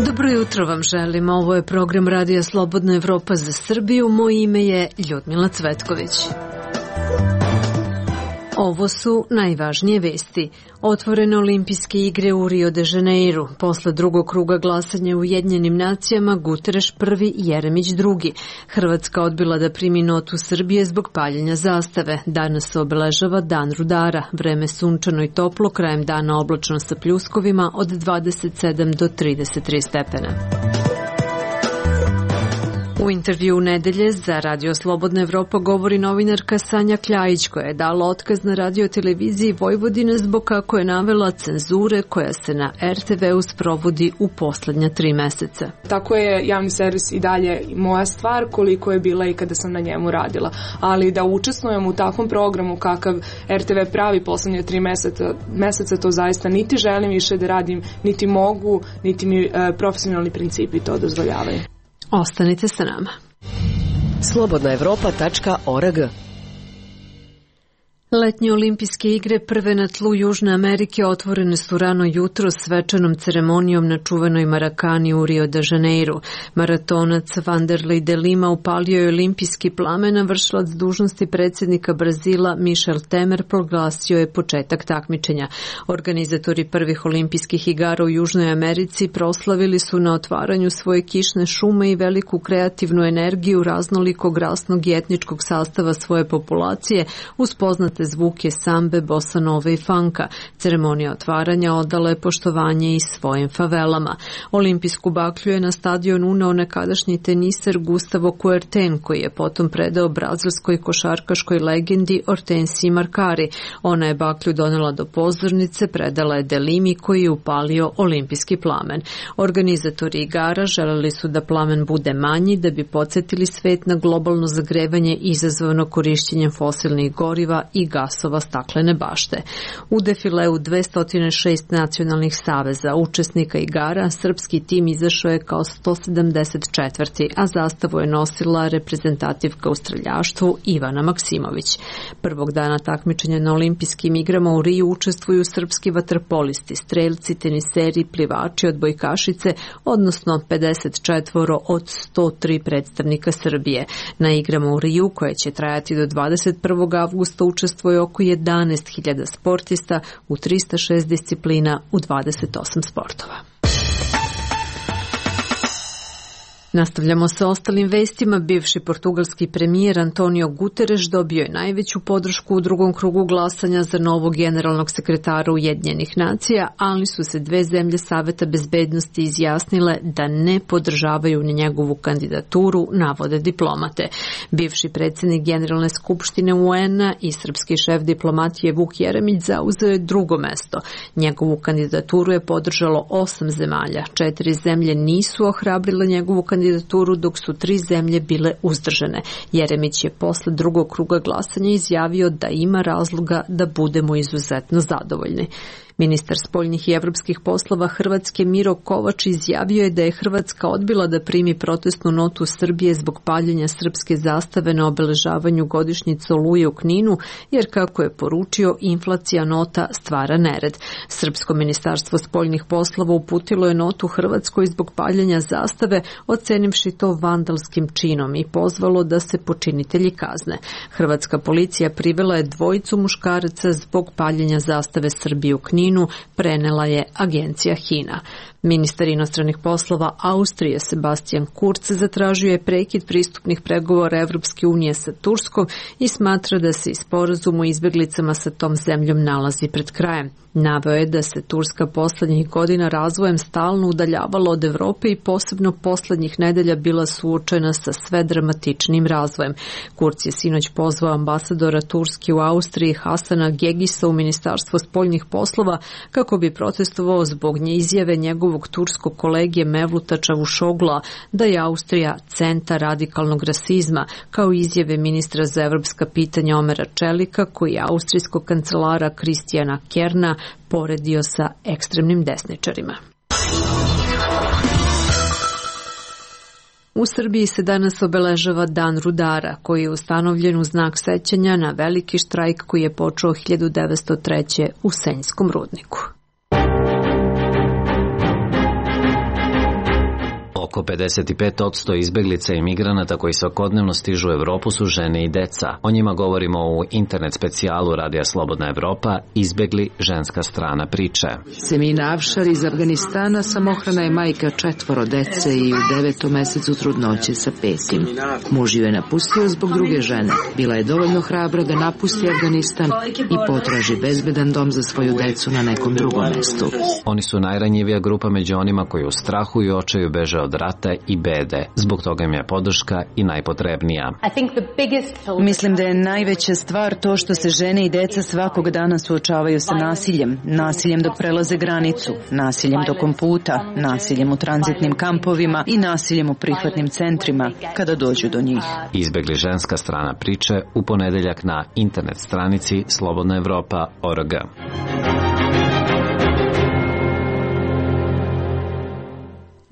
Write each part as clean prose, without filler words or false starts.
Dobro jutro vam želim. Ovo je program Radija Slobodna Evropa za Srbiju. Moje ime je Ljudmila Cvetković. Ovo su najvažnije vesti. Otvorene olimpijske igre u Rio de Janeiru. Posle drugog kruga glasanja u Ujedinjenim nacijama, Guterres prvi, Jeremić drugi. Hrvatska odbila da primi notu Srbije zbog paljenja zastave. Danas se obeležava Dan rudara. Vreme sunčano i toplo, krajem dana oblačno sa pljuskovima od 27 do 33 stepena. U intervju nedelje za Radio Slobodna Evropa govori novinarka Sanja Kljajić, koja je dala otkaz na radioteleviziji Vojvodine zbog, kako je navela, cenzure koja se na RTV-u sprovodi u poslednja 3 meseca. Tako je javni servis i dalje moja stvar, koliko je bila i kada sam na njemu radila. Ali da učestvujem u takvom programu kakav RTV pravi poslednje 3 meseca, to zaista niti želim više da radim, niti mogu, niti mi profesionalni principi to dozvoljavaju. Ostanite sa nama. slobodnaevropa.org. Letnje olimpijske igre prve na tlu Južne Amerike otvorene su rano jutro svečanom ceremonijom na čuvenoj Marakani u Rio de Janeiru. Maratonac Vanderlei de Lima upalio je olimpijski plamen, a vršilac dužnosti predsjednika Brazila Michel Temer proglasio je početak takmičenja. Organizatori prvih olimpijskih igara u Južnoj Americi proslavili su na otvaranju svoje kišne šume i veliku kreativnu energiju raznolikog rasnog i etničkog sastava svoje populacije uz poznate zvuke sambe, bossa nove i funka. Ceremonija otvaranja odala je poštovanje i svojim favelama. Olimpijsku baklju je na stadion uneo nekadašnji teniser Gustavo Kuerten, koji je potom predao brazilskoj košarkaškoj legendi Hortensiji Markari. Ona je baklju donela do pozornice, predala je de Limi, koji je upalio olimpijski plamen. Organizatori igara želeli su da plamen bude manji, da bi podsjetili svet na globalno zagrevanje izazvano korišćenjem fosilnih goriva i gasova staklene bašte. U defileu 206 nacionalnih saveza učesnika igara srpski tim izašao je kao 174. a zastavu je nosila reprezentativka u streljaštvu Ivana Maksimović. Prvog dana takmičenja na olimpijskim igrama u Riju učestvuju srpski vaterpolisti, strelci, teniseri, plivači, odbojkašice, odnosno 54 od 103 predstavnika Srbije. Na igrama u Riju, koje će trajati do 21. avgusta, učestvuju oko 11.000 sportista u 306 disciplina u 28 sportova. Nastavljamo sa ostalim vestima. Bivši portugalski premijer Antonio Guterres dobio je najveću podršku u drugom krugu glasanja za novog generalnog sekretara Ujedinjenih nacija, ali su se 2 zemlje Saveta bezbednosti izjasnile da ne podržavaju ni njegovu kandidaturu, navode diplomate. Bivši predsjednik Generalne skupštine UN-a i srpski šef diplomatije Vuk Jeremić zauzeo je drugo mesto. Njegovu kandidaturu je podržalo 8 zemalja. 4 zemlje nisu ohrabrile njegovu kandidaturu, dok su 3 zemlje bile uzdržane. Jeremić je posle drugog kruga glasanja izjavio da ima razloga da budemo izuzetno zadovoljni. Ministar spoljnih i evropskih poslova Hrvatske Miro Kovač izjavio je da je Hrvatska odbila da primi protestnu notu Srbije zbog paljenja srpske zastave na obeležavanju godišnjice Oluje u Kninu, jer, kako je poručio, inflacija nota stvara nered. Srpsko ministarstvo spoljnih poslova uputilo je notu Hrvatskoj zbog paljenja zastave, ocenivši to vandalskim činom i pozvalo da se počinitelji kazne. Hrvatska policija privela je 2 muškaraca zbog paljenja zastave Srbije u Kninu, prenela je agencija HINA. Ministar inostranih poslova Austrije Sebastian Kurz zatražio je prekid pristupnih pregovora Evropske unije sa Turskom i smatra da se i sporazum o izbjeglicama sa tom zemljom nalazi pred krajem. Naveo je da se Turska poslednjih godina razvojem stalno udaljavala od Evrope i posebno poslednjih nedelja bila suočena sa sve dramatičnim razvojem. Kurz je sinoć pozvao ambasadora Turske u Austriji Hasana Gegisa u Ministarstvo spoljnih poslova kako bi protestovao zbog izjave njegovog turskog kolege Mevluta Čavuşogla da je Austrija centar radikalnog rasizma, kao izjave ministra za evropska pitanja Omera Čelika, koji je austrijskog kancelara Kristijana Kerna poredio sa ekstremnim desničarima. U Srbiji se danas obeležava Dan rudara, koji je ustanovljen u znak sećanja na veliki štrajk koji je počeo 1903. u Senjskom rudniku. Oko 55% izbeglica i migranata koji svakodnevno stižu u Evropu su žene i deca. O njima govorimo u internet specijalu Radija Slobodna Evropa Izbegli, ženska strana priče. Semina Avšar iz Afganistana samohrana je majka 4 dece i u 9. mesecu trudnoće sa 5. Muž ju je napustio zbog druge žene. Bila je dovoljno hrabra da napusti Afganistan i potraži bezbedan dom za svoju decu na nekom drugom mestu. Oni su najranjivija grupa među onima koji u strahu i očaju beže od rata i bede. Zbog toga im je podrška i najpotrebnija. Mislim da je najveća stvar to što se žene i deca svakog dana suočavaju sa nasiljem. Nasiljem dok prelaze granicu, nasiljem tokom puta, nasiljem u tranzitnim kampovima i nasiljem u prihvatnim centrima kada dođu do njih. Izbegli, ženska strana priče u ponedeljak na internet stranici slobodnaevropa.org.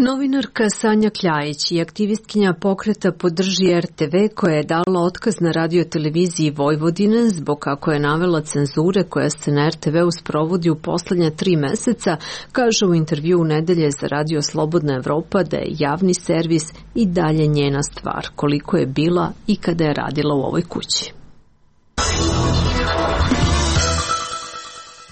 Novinarka Sanja Kljajić i aktivistkinja pokreta Podrži RTV koja je dala otkaz na radioteleviziji Vojvodine zbog, kako je navela, cenzure koja se na RTV-u sprovodi u poslednja 3 meseca, kaže u intervju u nedelje za Radio Slobodna Evropa da je javni servis i dalje njena stvar, koliko je bila i kada je radila u ovoj kući.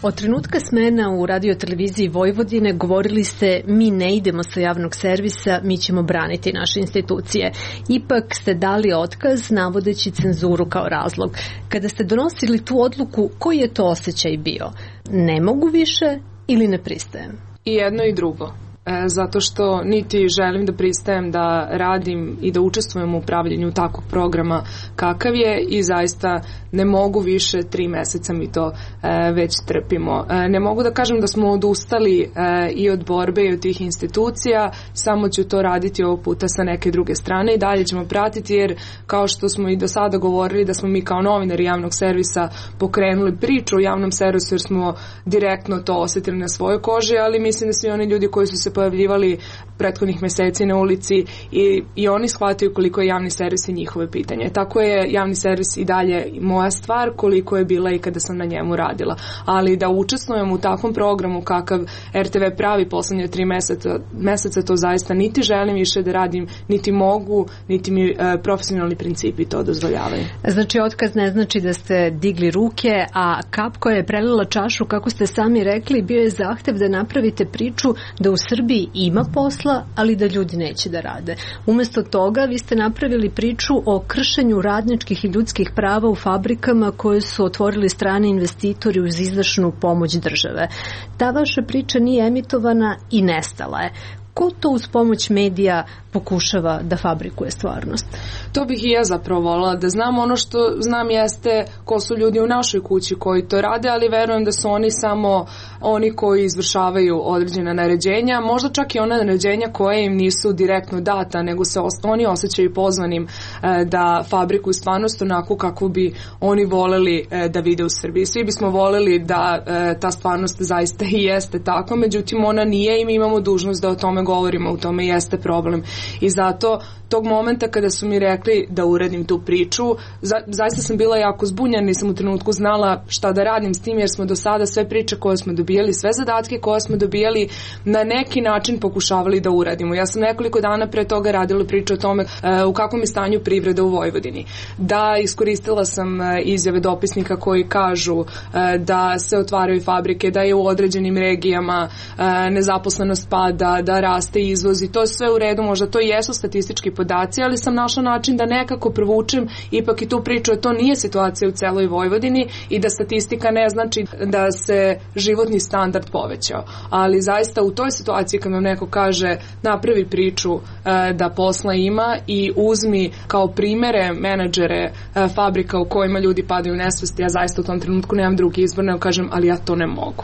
Od trenutka smena u radioteleviziji Vojvodine govorili ste mi ne idemo sa javnog servisa, mi ćemo braniti naše institucije. Ipak ste dali otkaz navodeći cenzuru kao razlog. Kada ste donosili tu odluku, koji je to osjećaj bio? Ne mogu više ili ne pristajem? I jedno i drugo. Zato što niti želim da pristajem da radim i da učestvujem u upravljanju takvog programa kakav je i zaista ne mogu više, 3 meseca mi to već trpimo. Ne mogu da kažem da smo odustali i od borbe i od tih institucija, samo ću to raditi ovog puta sa neke druge strane i dalje ćemo pratiti jer kao što smo i do sada govorili da smo mi kao novinari javnog servisa pokrenuli priču o javnom servisu jer smo direktno to osetili na svojoj koži, ali mislim da svi oni ljudi koji su se pojavljivali prethodnih meseci na ulici i oni shvataju koliko je javni servis i njihove pitanje. Tako je javni servis i dalje moja stvar koliko je bila i kada sam na njemu radila. Ali da učestvujem u takvom programu kakav RTV pravi poslednje 3 meseca to zaista niti želim više da radim, niti mogu, niti mi profesionalni principi to dozvoljavaju. Znači otkaz ne znači da ste digli ruke, a kap koja je prelila čašu, kako ste sami rekli, bio je zahtev da napravite priču da u Srbiji ima posla, ali da ljudi neće da rade. Umesto toga vi ste napravili priču o kršenju radničkih i ljudskih prava u fabrikama koje su otvorili strani investitori uz izdašnu pomoć države. Ta vaša priča nije emitovana i nestala je. Ko to uz pomoć medija pokušava da fabrikuje stvarnost? To bih i ja zapravo volila da znam. Ono što znam jeste ko su ljudi u našoj kući koji to rade, ali verujem da su oni samo oni koji izvršavaju određena naređenja, možda čak i ona naređenja koje im nisu direktno data, nego se oni osjećaju pozvanim da fabrikuju stvarnost onako kako bi oni voleli da vide u Srbiji. Svi bismo voleli da ta stvarnost zaista i jeste tako, međutim ona nije i mi imamo dužnost da o tome govorimo, u tome jeste problem. I zato tog momenta kada su mi rekli da uradim tu priču, zaista sam bila jako zbunjena, nisam u trenutku znala šta da radim s tim jer smo do sada sve priče koje smo dobijali, sve zadatke koje smo dobijali na neki način pokušavali da uradimo. Ja sam nekoliko dana pre toga radila priču o tome u kakvom je stanju privreda u Vojvodini. Da, iskoristila sam izjave dopisnika koji kažu da se otvaraju fabrike, da je u određenim regijama nezaposlenost pada, da raste izvoz i to je sve u redu, možda to jesu statistički podaci, ali sam našla način da nekako provučem ipak i tu priču, to nije situacija u celoj Vojvodini i da statistika ne znači da se životni standard povećao. Ali zaista u toj situaciji kad nam neko kaže napravi priču da posla ima i uzmi kao primere menadžere fabrika u kojima ljudi padaju u nesvest, ja zaista u tom trenutku nemam drugi izbor, nego kažem, ali ja to ne mogu.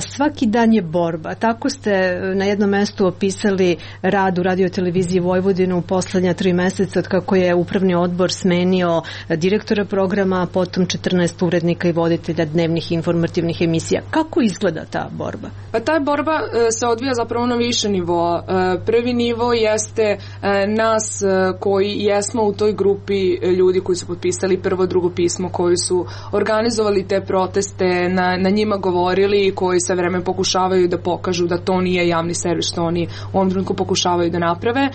Svaki dan je borba. Tako ste na jednom mestu opisali opisali rad u Radio-televiziji Vojvodinu u poslednja 3 meseca od kako je upravni odbor smenio direktora programa, potom 14 urednika i voditelja dnevnih informativnih emisija. Kako izgleda ta borba? Pa ta borba se odvija zapravo na više nivoa. Prvi nivo jeste nas koji jesmo u toj grupi ljudi koji su potpisali prvo, drugo pismo, koji su organizovali te proteste, na njima govorili i koji sa vreme pokušavaju da pokažu da to nije javni servis što oni u ovom trenutku pokušavaju da naprave.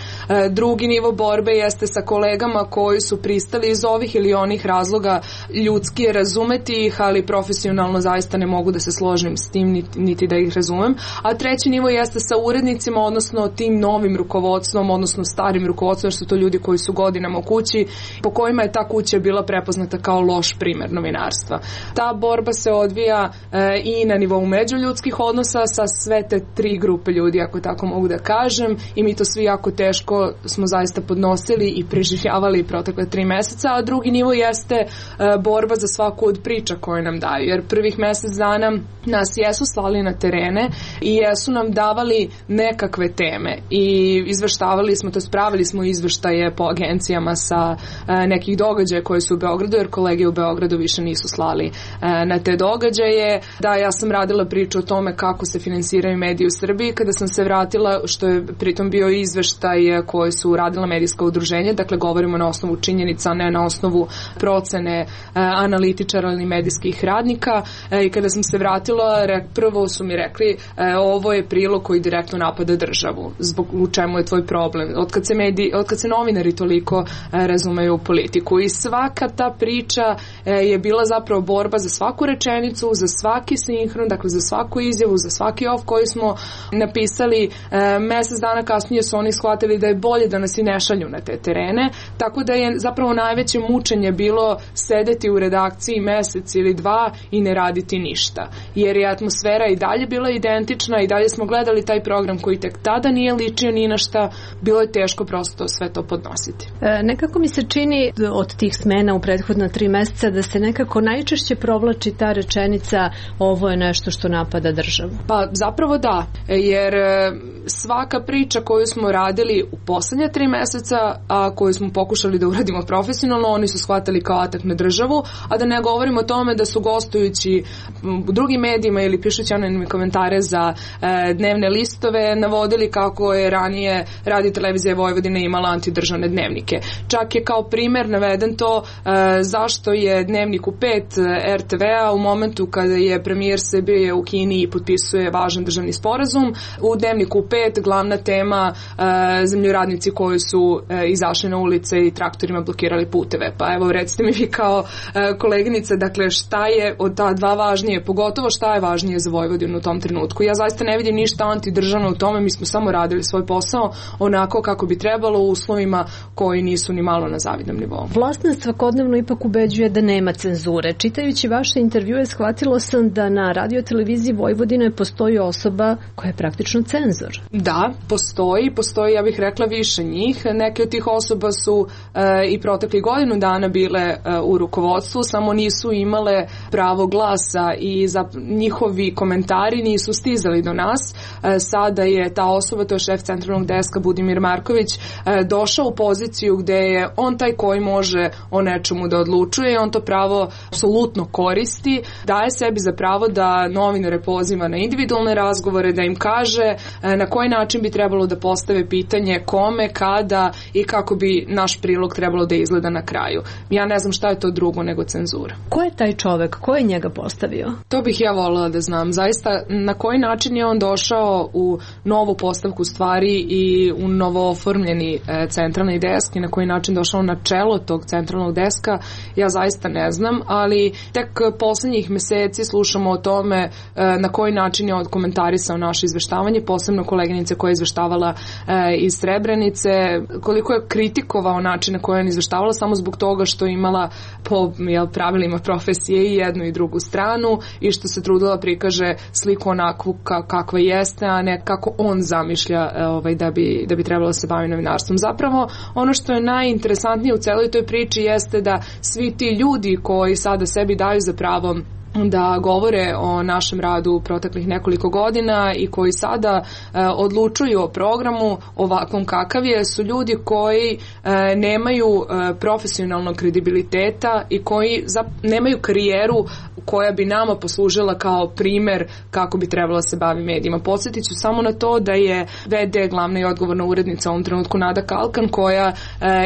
Drugi nivo borbe jeste sa kolegama koji su pristali iz ovih ili onih razloga, ljudski je razumeti ih, ali profesionalno zaista ne mogu da se složim s tim niti da ih razumem. A treći nivo jeste sa urednicima, odnosno tim novim rukovodstvom, odnosno starim rukovodstvom, što su to ljudi koji su godinama u kući, po kojima je ta kuća bila prepoznata kao loš primer novinarstva. Ta borba se odvija i na nivou međuljudskih odnosa sa sve te 3 grupe ljudi, ako tako mogu da kažem, i mi to svi jako teško smo zaista podnosili i preživljavali protekle 3 meseca, a drugi nivo jeste borba za svaku od priča koje nam daju, jer prvih mesec dana nas jesu slali na terene i jesu nam davali nekakve teme i izveštavali smo, to spravili smo izveštaje po agencijama sa nekih događaja koji su u Beogradu, jer kolege u Beogradu više nisu slali na te događaje. Da, ja sam radila priču o tome kako se finansiraju mediji u Srbiji. Kada sam se vratila, što je pritom bio izveštaj koji su radila medijska udruženja, dakle govorimo na osnovu činjenica, ne na osnovu procene analitičara ili medijskih radnika, i kada sam se vratila, prvo su mi rekli ovo je prilog koji direktno napada državu, zbog u čemu je tvoj problem, otkad se novinari toliko razumeju u politiku, i svaka ta priča je bila zapravo borba za svaku rečenicu, za svaki sinhron, dakle za svaku izjavu, za svaki off koji smo napisali. Mesec dana kasnije su oni shvatili da je bolje da nas i ne šalju na te terene, tako da je zapravo najveće mučenje bilo sedeti u redakciji mesec ili 2 i ne raditi ništa, jer je atmosfera i dalje bila identična i dalje smo gledali taj program koji tek tada nije ličio ni na šta, bilo je teško prosto sve to podnositi. Nekako mi se čini od tih smena u prethodna 3 meseca da se nekako najčešće provlači ta rečenica ovo je nešto što napada državu. Pa zapravo da, jer svaka priča koju smo radili u poslednje 3 meseca, a koju smo pokušali da uradimo profesionalno, oni su shvatili kao atak na državu, a da ne govorimo o tome da su gostujući u drugim medijima ili pišući anonimne komentare za dnevne listove navodili kako je ranije Radio-televizija Vojvodine imala antidržavne dnevnike. Čak je kao primer naveden to zašto je Dnevnik u 5 RTV-a u momentu kada je premijer Srbije u Kini i potpisuje važan državni sporazum, u Dnevniku u 5 glavna tema zemljoradnici koji su izašli na ulice i traktorima blokirali puteve. Pa evo recite mi vi kao koleginica, dakle šta je od ta dva važnije, pogotovo šta je važnije za Vojvodinu u tom trenutku. Ja zaista ne vidim ništa antidržavno u tome, mi smo samo radili svoj posao onako kako bi trebalo u uslovima koji nisu ni malo na zavidnom nivou. Vlast nas svakodnevno ipak ubeđuje da nema cenzure. Čitajući vaše intervjue shvatilo sam da na Radio-televiziji Vojvodine postoji osoba koja je praktično cenzor. Da, postoji, ja bih rekla više njih. Neke od tih osoba su i protekli godinu dana bile u rukovodstvu, samo nisu imale pravo glasa i njihovi komentari nisu stizali do nas. Sada je ta osoba, to je šef centralnog deska Budimir Marković, došao u poziciju gde je on taj koji može o nečemu da odlučuje i on to pravo apsolutno koristi, daje sebi za pravo da novinare poziva na individualne razgovore, da im kaže na koji način bi trebalo da postave pitanje, kome, kada i kako bi naš prilog trebalo da izgleda na kraju. Ja ne znam šta je to drugo nego cenzura. Ko je taj čovek? Ko je njega postavio? To bih ja voljela da znam. Zaista, na koji način je on došao u novu postavku stvari i u novo oformljeni centralni desk i na koji način došao na čelo tog centralnog deska, ja zaista ne znam, ali tek poslednjih meseci slušamo o tome na koji način je odkomentarisao naše izveštavanje, posebno koleginice koja je izveštavala iz Srebrenice, koliko je kritikovao način na koji je on izveštavala samo zbog toga što je imala po pravilima profesije i jednu i drugu stranu i što se trudila prikaže sliku onakvu kakva jeste, a ne kako on zamišlja da bi trebalo se baviti novinarstvom. Zapravo, ono što je najinteresantnije u celoj toj priči jeste da svi ti ljudi koji sada sebi daju za pravo da govore o našem radu proteklih nekoliko godina i koji sada odlučuju o programu ovakvom kakav je, su ljudi koji nemaju profesionalnog kredibiliteta i koji nemaju karijeru koja bi nama poslužila kao primer kako bi trebalo se bavi medijima. Podsjetit ću samo na to da je VD, glavna i odgovorna urednica u ovom trenutku Nada Kalkan, koja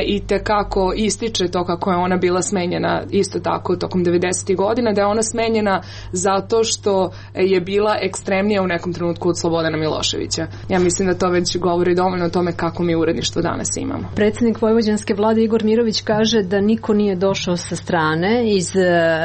i tekako ističe to kako je ona bila smenjena isto tako tokom 90. godina, da je ona smenjena zato što je bila ekstremnija u nekom trenutku od Slobodana Miloševića. Ja mislim da to već govori dovoljno o tome kako mi uredništvo danas imamo. Predsjednik vojvođanske vlade Igor Mirović kaže da niko nije došao sa strane iz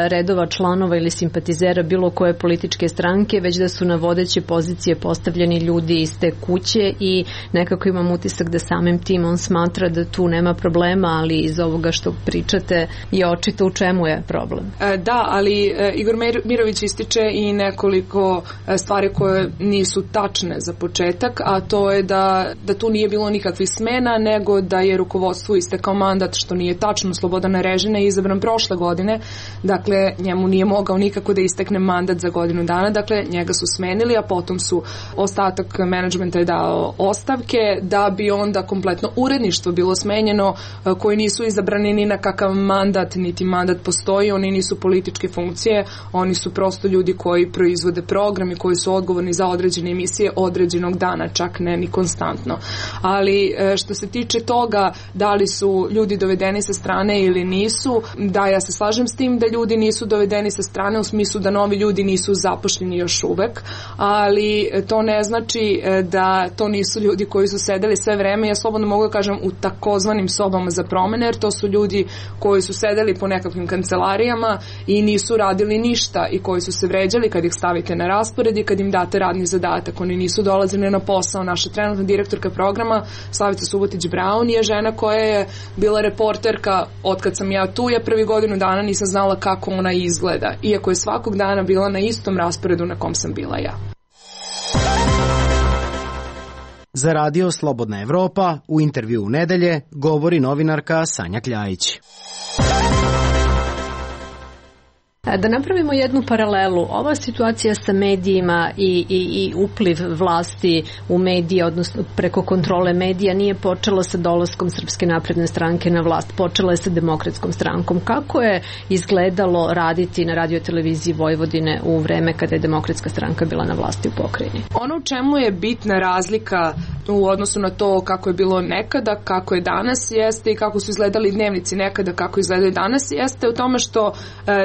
redova članova ili simpatizera bilo koje političke stranke, već da su na vodeće pozicije postavljeni ljudi iz te kuće i nekako imam utisak da samim tim on smatra da tu nema problema, ali iz ovoga što pričate je očito u čemu je problem. Da, ali Igor Mirović ističe i nekoliko stvari koje nisu tačne za početak, a to je da tu nije bilo nikakvih smena, nego da je rukovodstvu istekao mandat, što nije tačno. Slobodan Arežina je izabran prošle godine, dakle njemu nije mogao nikako da istekne mandat za godinu dana, dakle njega su smenili, a potom su ostatak menadžmenta je dao ostavke, da bi onda kompletno uredništvo bilo smenjeno, koji nisu izabrani ni na kakav mandat, niti mandat postoji, oni nisu političke funkcije, oni su prosto ljudi koji proizvode program i koji su odgovorni za određene emisije određenog dana, čak ne ni konstantno. Ali što se tiče toga da li su ljudi dovedeni sa strane ili nisu, da, ja se slažem s tim da ljudi nisu dovedeni sa strane u smislu da novi ljudi nisu zapošljeni još uvek, ali to ne znači da to nisu ljudi koji su sedeli sve vreme, ja slobodno mogu da kažem u takozvanim sobama za promene, jer to su ljudi koji su sedeli po nekakvim kancelarijama i nisu radili ništa i koji su se vređali kad ih stavite na raspored i kad im date radni zadatak. Oni nisu dolazili na posao. Naša trenutna direktorka programa Slavica Subotić-Braun je žena koja je bila reporterka otkad sam ja tu, ja prvi godinu dana nisam znala kako ona izgleda, iako je svakog dana bila na istom rasporedu na kom sam bila ja. Za Radio Slobodna Evropa u intervju u nedelje govori novinarka Sanja Kljajić. Da napravimo jednu paralelu, ova situacija sa medijima i upliv vlasti u medije, odnosno preko kontrole medija, nije počela sa dolaskom Srpske napredne stranke na vlast, počela je sa Demokratskom strankom. Kako je izgledalo raditi na radioteleviziji Vojvodine u vreme kada je Demokratska stranka bila na vlasti u pokrajini? Ono u čemu je bitna razlika u odnosu na to kako je bilo nekada, kako je danas jeste i kako su izgledali dnevnici nekada, kako izgledaju danas jeste u tome što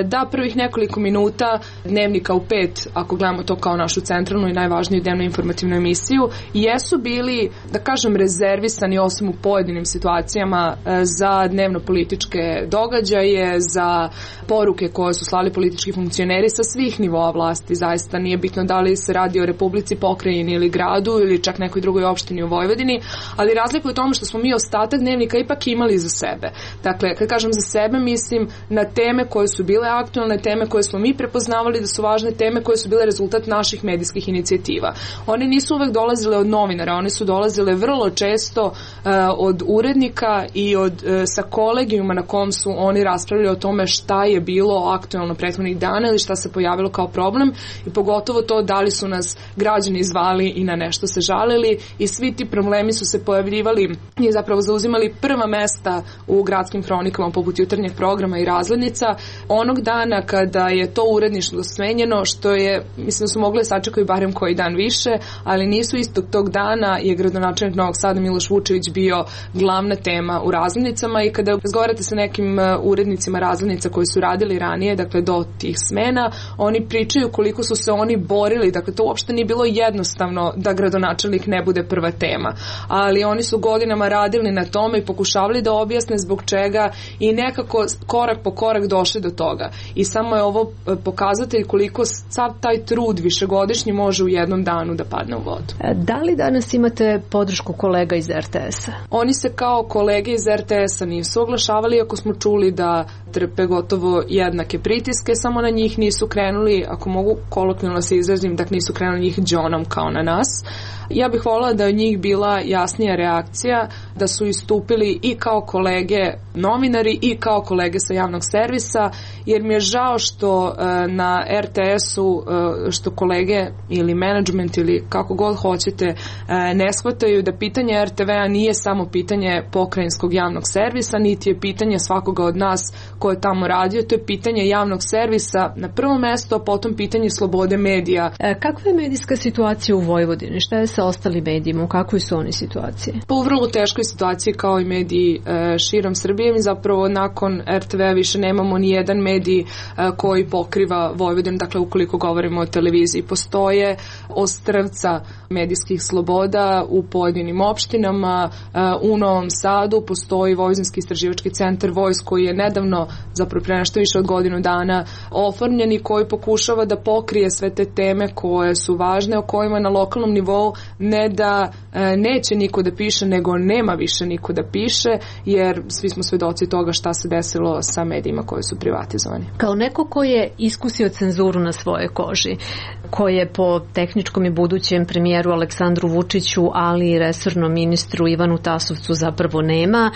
da prvih nekoliko minuta dnevnika u 5, ako gledamo to kao našu centralnu i najvažniju dnevnu informativnu emisiju, jesu bili, da kažem, rezervisani osim u pojedinim situacijama za dnevno političke događaje, za poruke koje su slali politički funkcioneri sa svih nivoa vlasti. Zaista nije bitno da li se radi o Republici, pokrajini ili gradu ili čak nekoj drugoj opštini u Vojvodini, ali razlika je u tome što smo mi ostatak dnevnika ipak imali za sebe. Dakle, kad kažem za sebe, mislim na teme koje su bile aktualne, teme koje smo mi prepoznavali da su važne, teme koje su bile rezultat naših medijskih inicijativa. One nisu uvek dolazile od novinara, one su dolazile vrlo često od urednika i sa kolegijuma na kom su oni raspravljali o tome šta je bilo aktualno prethodnih dana ili šta se pojavilo kao problem i pogotovo to da li su nas građani zvali i na nešto se žalili i svi ti problemi su se pojavljivali i zapravo zauzimali prva mesta u gradskim hronikama poput jutarnjeg programa i razglednica. Onog dana kada je to uredništvo smenjeno, što je, mislim da su mogli sačekati barem koji dan više, ali nisu istog tog dana je gradonačelnik Novog Sada Miloš Vučević bio glavna tema u razglednicama i kada razgovarate sa nekim urednicima razglednica koji su radili ranije, dakle do tih smena, oni pričaju koliko su se oni borili, dakle to uopšte nije bilo jednostavno da gradonačelnik ne bude prva tema, ali oni su godinama radili na tome i pokušavali da objasne zbog čega i nekako korak po korak došli do toga. I samo je ovo pokazatelj koliko sav taj trud višegodišnji može u jednom danu da padne u vodu. Da li danas imate podršku kolega iz RTS-a? Oni se kao kolege iz RTS-a nisu oglašavali, ako smo čuli da trpe gotovo jednake pritiske, samo na njih nisu krenuli, ako mogu kolokvijalno se izrazim, da nisu krenuli njih džonom kao na nas. Ja bih voljela da je od njih bila jasnija reakcija, da su istupili i kao kolege novinari i kao kolege sa javnog servisa, jer mi je žao žao što na RTS-u što kolege ili menadžment ili kako god hoćete ne shvataju da pitanje RTV-a nije samo pitanje pokrajinskog javnog servisa, niti je pitanje svakoga od nas ko je tamo radio, to je pitanje javnog servisa na prvo mesto, a potom pitanje slobode medija. Kakva je medijska situacija u Vojvodini? Šta je sa ostalim medijima? U kakvoj su oni situaciji? Pa u vrlo teškoj situaciji kao i mediji širom Srbije. Mi zapravo nakon RTV-a više nemamo ni jedan medij koji pokriva Vojvodinu, dakle ukoliko govorimo o televiziji. Postoje ostrvca medijskih sloboda u pojedinim opštinama, u Novom Sadu postoji Vojvodinski istraživački centar Vojs koji je nedavno, zapravo pre nešto više od godinu dana, oformljen i koji pokušava da pokrije sve te teme koje su važne, o kojima na lokalnom nivou ne da neće niko da piše, nego nema više niko da piše, jer svi smo svedoci toga šta se desilo sa medijima koji su privatizovani. Kao neko ko je iskusio cenzuru na svojoj koži, ko je po tehničkom i budućem premijeru Aleksandru Vučiću, ali i resornom ministru Ivanu Tasovcu zapravo nema,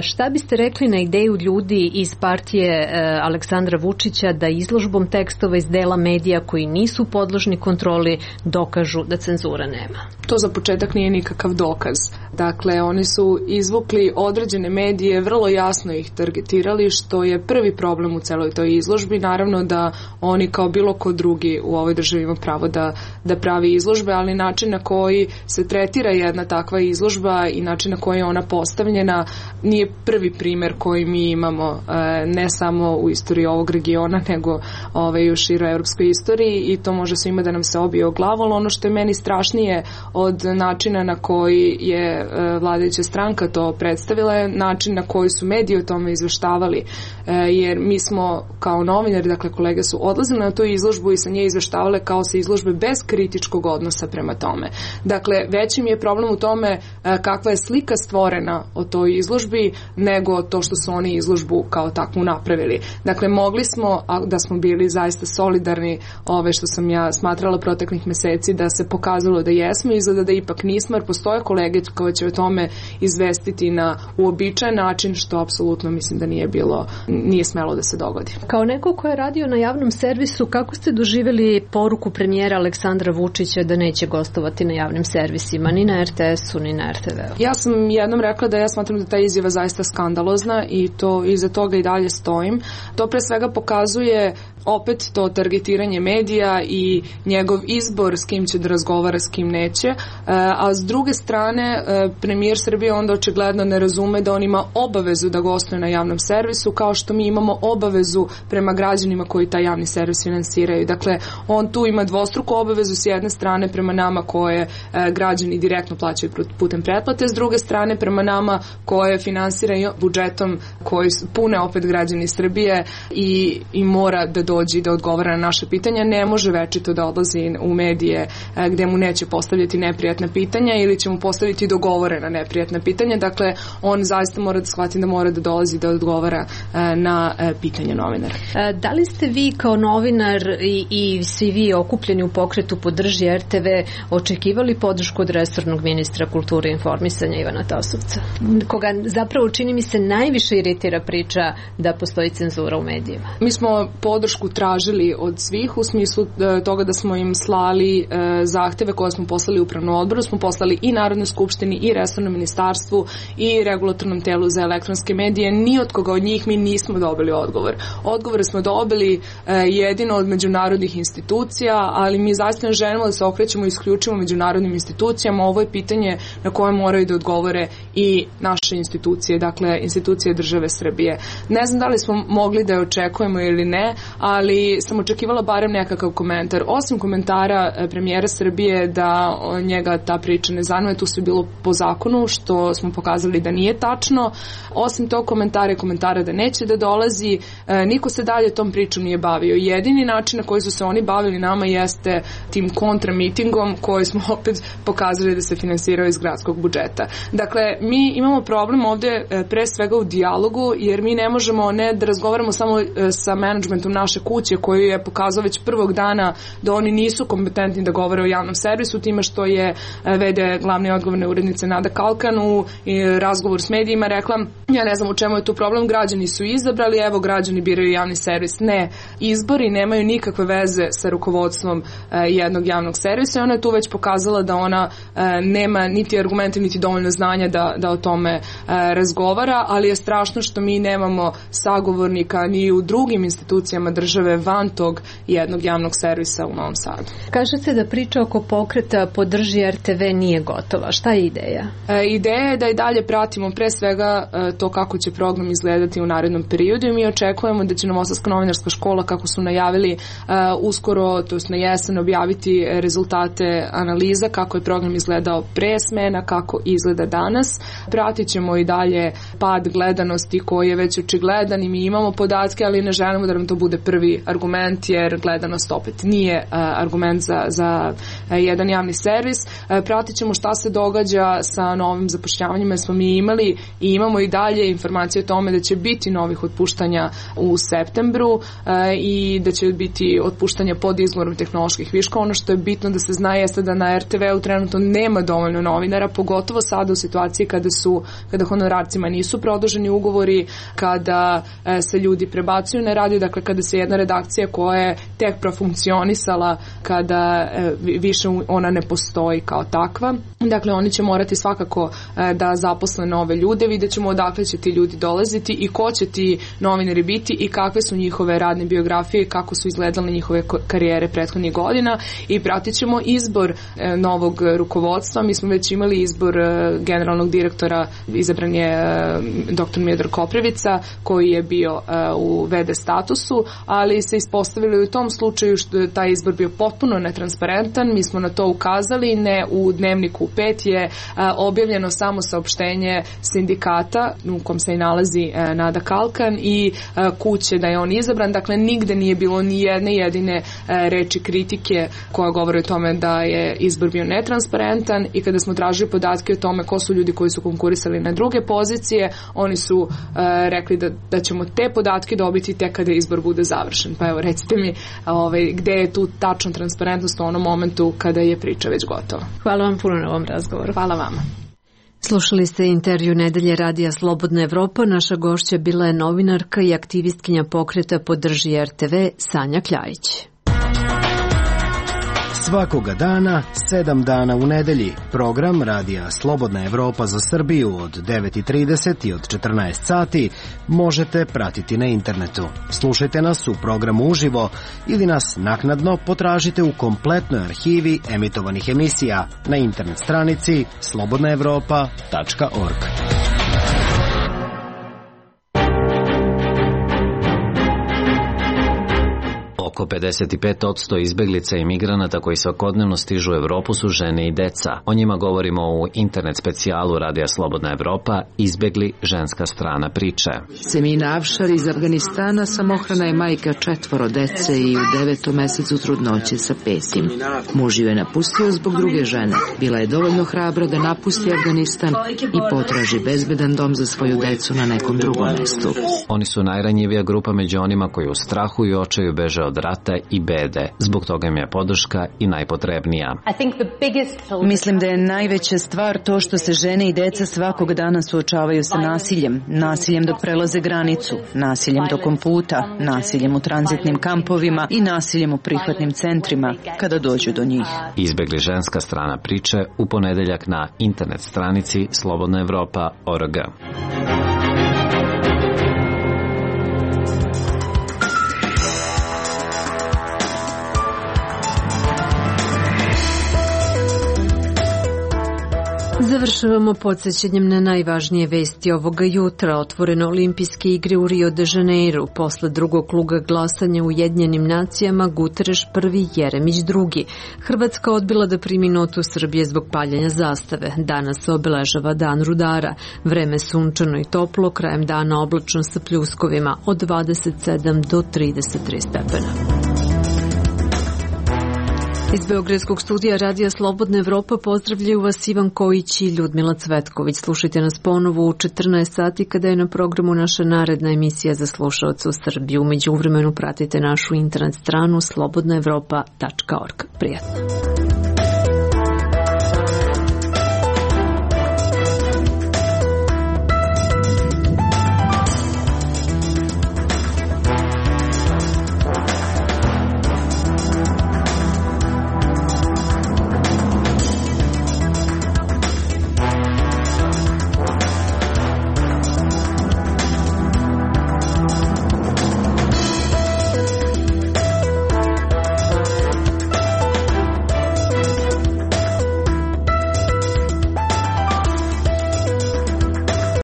šta biste rekli na ideju ljudi iz partije Aleksandra Vučića da izložbom tekstova iz dela medija koji nisu podložni kontroli dokažu da cenzura nema? To za početak nije nikakav dokaz. Dakle, oni su izvukli određene medije, vrlo jasno ih targetirali, što je prvi problem u celoj toj izložbi. Naravno da oni kao bilo ko drugi u ovoj državi ima pravo da pravi izložbe, ali način na koji se tretira jedna takva izložba i način na koji je ona postavljena nije prvi primer koji mi imamo, ne samo u istoriji ovog regiona, nego u široj evropskoj istoriji, i to može svima da nam se obije o glavu, ali ono što je meni strašnije od načina na koji je vladajuća stranka to predstavila je način na koji su mediji o tome izveštavali, jer mi smo kao novinari, dakle kolege su odlazili na tu izložbu i sa nje izveštavale kao sa izložbe bez kritičkog odnosa prema tome. Dakle, veći mi je problem u tome kakva je slika stvorena o toj izložbi nego to što su oni izložbu kao takvu napravili. Dakle, mogli smo, da smo bili zaista solidarni, što sam ja smatrala proteklih meseci, da se pokazalo da jesmo, izgleda da ipak nismo, jer postoje kolege koje će o tome izvestiti na uobičajen način, što apsolutno mislim da nije smelo da se dogodi. Kao neko ko je radio na javnom servisu, kako ste doživjeli poruku premijera Aleksandra Vučića da neće gostovati na javnim servisima, ni na RTS-u, ni na RTV-u? Ja sam jednom rekla da ja smatram da ta izjava zaista skandalozna i to iza toga i dalje stojim. To pre svega pokazuje opet to targetiranje medija i njegov izbor s kim će da razgovara, s kim neće, a s druge strane premijer Srbije onda očigledno ne razume da on ima obavezu da gostuje na javnom servisu, kao što mi imamo obavezu prema građanima koji taj javni servis finansiraju. Dakle, on tu ima dvostruku obavezu, s jedne strane prema nama koje građani direktno plaćaju putem pretplate, s druge strane prema nama koje finansiraju budžetom koji pune opet građani Srbije i mora da dođe i da odgovara na naše pitanja. Ne može večito da odlazi u medije gde mu neće postavljati neprijatna pitanja ili će mu postaviti dogovorena neprijatna pitanja. Dakle, on zaista mora da shvati da mora da dolazi da odgovara na pitanje novinara. Da li ste vi kao novinar i svi vi okupljeni u pokretu Podrži RTV očekivali podršku od resornog ministra kulture i informisanja Ivana Tasovca, koga zapravo čini mi se najviše iritira priča da postoji cenzura u medijima? Mi smo podršku tražili od svih u smislu toga da smo im slali zahteve koje smo poslali upravnom odboru, smo poslali i Narodnoj skupštini i resornom ministarstvu i regulatornom telu za elektronske medije. Ni od koga od njih mi nismo dobili odgovor. Odgovore smo dobili jedino od međunarodnih institucija, ali mi zaista ne želimo da se okrećemo isključivo međunarodnim institucijama. Ovo je pitanje na koje moraju da odgovore i naše institucije, dakle institucije države Srbije. Ne znam da li smo mogli da je očekujemo ili ne, ali sam očekivala barem nekakav komentar. Osim komentara premijera Srbije da njega ta priča ne zanima, tu sve bilo po zakonu, što smo pokazali da nije tačno. Osim tog komentara da neće da dolazi, niko se dalje tom pričom nije bavio. Jedini način na koji su se oni bavili nama jeste tim kontramitingom koji smo opet pokazali da se finansirao iz gradskog budžeta. Dakle, mi imamo problem ovde pre svega u dijalogu, jer mi ne možemo ne da razgovaramo samo sa menadžmentom naše kuće koji je pokazao već prvog dana da oni nisu kompetentni da govore o javnom servisu, time što je vede glavne odgovorne urednice Nada Kalkan u razgovor s medijima rekla, ja ne znam u čemu je tu problem, građani su izabrali, evo građani biraju javni servis. Ne, izbori nemaju nikakve veze sa rukovodstvom jednog javnog servisa i ona je tu već pokazala da ona nema niti argumente, niti dovoljno znanja da o tome razgovara, ali je strašno što mi nemamo sagovornika ni u drugim institucijama države van tog jednog javnog servisa u Novom Sadu. Kažete da priča oko pokreta Podrži RTV nije gotova. Šta je ideja? Ideja je da i dalje pratimo pre svega to kako će program izgledati u narednom periodu i mi očekujemo da će Novosadska novinarska škola, kako su najavili, uskoro, to jest na jesen, objaviti rezultate analiza kako je program izgledao pre smena, kako izgleda danas. Pratit ćemo i dalje pad gledanosti koji je već očigledan i mi imamo podatke, ali ne želimo da nam to bude prvi argument, jer gledanost opet nije argument za jedan javni servis. Pratit ćemo šta se događa sa novim zapošljavanjima, jer smo mi imali i imamo i dalje informacije o tome da će biti novih otpuštanja u septembru i da će biti otpuštanja pod izgovorom tehnoloških viškova. Ono što je bitno da se zna jeste da na RTV-u trenutno nema dovoljno novinara, pogotovo sada u situaciji kada honorarcima nisu produženi ugovori, kada se ljudi prebacuju na radio, dakle kada se jedna redakcija koja je tek profunkcionisala, kada više ona ne postoji kao takva. Dakle, oni će morati svakako da zaposle nove ljude, vidjet ćemo odakle će ti ljudi dolaziti i ko će ti novinari biti i kakve su njihove radne biografije, kako su izgledale njihove karijere prethodnih godina i pratit ćemo izbor novog rukovodstva. Mi smo već imali izbor generalnog direktora, izabran je dr. Miodrag Koprivica koji je bio u VD statusu, ali se ispostavilo u tom slučaju što je taj izbor bio potpuno netransparentan. Mi smo na to ukazali, ne u Dnevniku 5 je objavljeno samo saopštenje sindikata u kom se i nalazi Nada Kalkan i kuće da je on izabran, dakle nigde nije bilo ni jedne jedine reči kritike koja govore o tome da je izbor bio netransparentan i kada smo tražili podatke o tome ko su ljudi koji su konkurisali na druge pozicije, oni su rekli da ćemo te podatke dobiti tek kada izbor bude završen. Pa evo recite mi gde je tu tačna transparentnost u onom momentu kada je priča već gotova. Hvala vam puno na ovom razgovoru. Hvala vama. Slušali ste intervju Nedelje radija Slobodna Evropa. Naša gošća bila je novinarka i aktivistkinja pokreta Podrži RTV Sanja Kljajić. Svakoga dana, 7 dana u nedelji, program radija Slobodna Evropa za Srbiju od 9:30 i od 14 sati možete pratiti na internetu. Slušajte nas u programu uživo ili nas naknadno potražite u kompletnoj arhivi emitovanih emisija na internet stranici slobodnaevropa.org. Oko 55% izbeglica i migranata koji svakodnevno stižu u Evropu su žene i deca. O njima govorimo u internet specijalu Radija Slobodna Evropa Izbegli ženska strana priče. Semina Avšar iz Afganistana samohrana je majka 4 dece i u 9. mesecu trudnoće sa 5. Muž ju je napustio zbog druge žene. Bila je dovoljno hrabra da napusti Afganistan i potraži bezbedan dom za svoju decu na nekom drugom mestu. Oni su najranjivija grupa među onima koji u strahu i očaju beže od rata i bede. Zbog toga im je podrška i najpotrebnija. Mislim da je najveća stvar to što se žene i deca svakog dana suočavaju sa nasiljem. Nasiljem dok prelaze granicu, nasiljem tokom puta, nasiljem u tranzitnim kampovima i nasiljem u prihvatnim centrima kada dođu do njih. Izbegli ženska strana priče u ponedeljak na internet stranici slobodnaevropa.org. Završavamo podsjećanjem na najvažnije vesti ovoga jutra. Otvoreno olimpijske igre u Rio de Janeiro. Posle drugog kruga glasanja u Ujedinjenim nacijama Guterres prvi, Jeremić drugi. Hrvatska odbila da primi notu Srbije zbog paljenja zastave. Danas se obeležava dan rudara. Vreme sunčano i toplo, krajem dana oblačno sa pljuskovima od 27 do 33 stepena. Iz Beogradskog studija Radija Slobodna Evropa pozdravljaju vas Ivan Kojić i Ljudmila Cvetković. Slušajte nas ponovo u 14 sati kada je na programu naša naredna emisija za slušaoce u Srbiji. U međuvremenu pratite našu internet stranu slobodnaevropa.org. Prijatno.